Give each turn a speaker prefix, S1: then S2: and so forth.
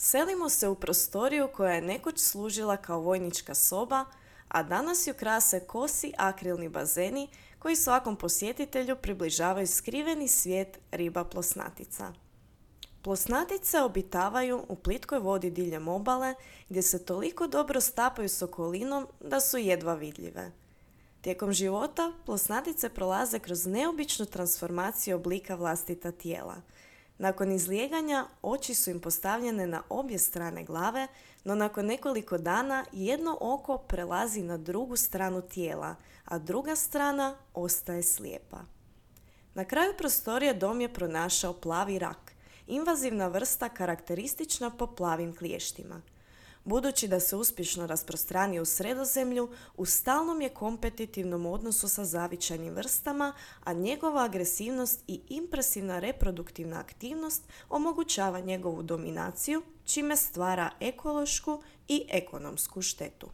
S1: Selimo se u prostoriju koja je nekoć služila kao vojnička soba, a danas ju krase kosi akrilni bazeni koji svakom posjetitelju približavaju skriveni svijet riba plosnatica. Plosnatice obitavaju u plitkoj vodi diljem obale gdje se toliko dobro stapaju s okolinom da su jedva vidljive. Tijekom života plosnatice prolaze kroz neobičnu transformaciju oblika vlastita tijela. Nakon izlijeganja oči su im postavljene na obje strane glave, no nakon nekoliko dana jedno oko prelazi na drugu stranu tijela, a druga strana ostaje slijepa. Na kraju prostorije dom je pronašao plavi rak, invazivna vrsta karakteristična po plavim kliještima. Budući da se uspješno rasprostranio u Sredozemlju, u stalnom je kompetitivnom odnosu sa zavičajnim vrstama, a njegova agresivnost i impresivna reproduktivna aktivnost omogućava njegovu dominaciju, čime stvara ekološku i ekonomsku štetu.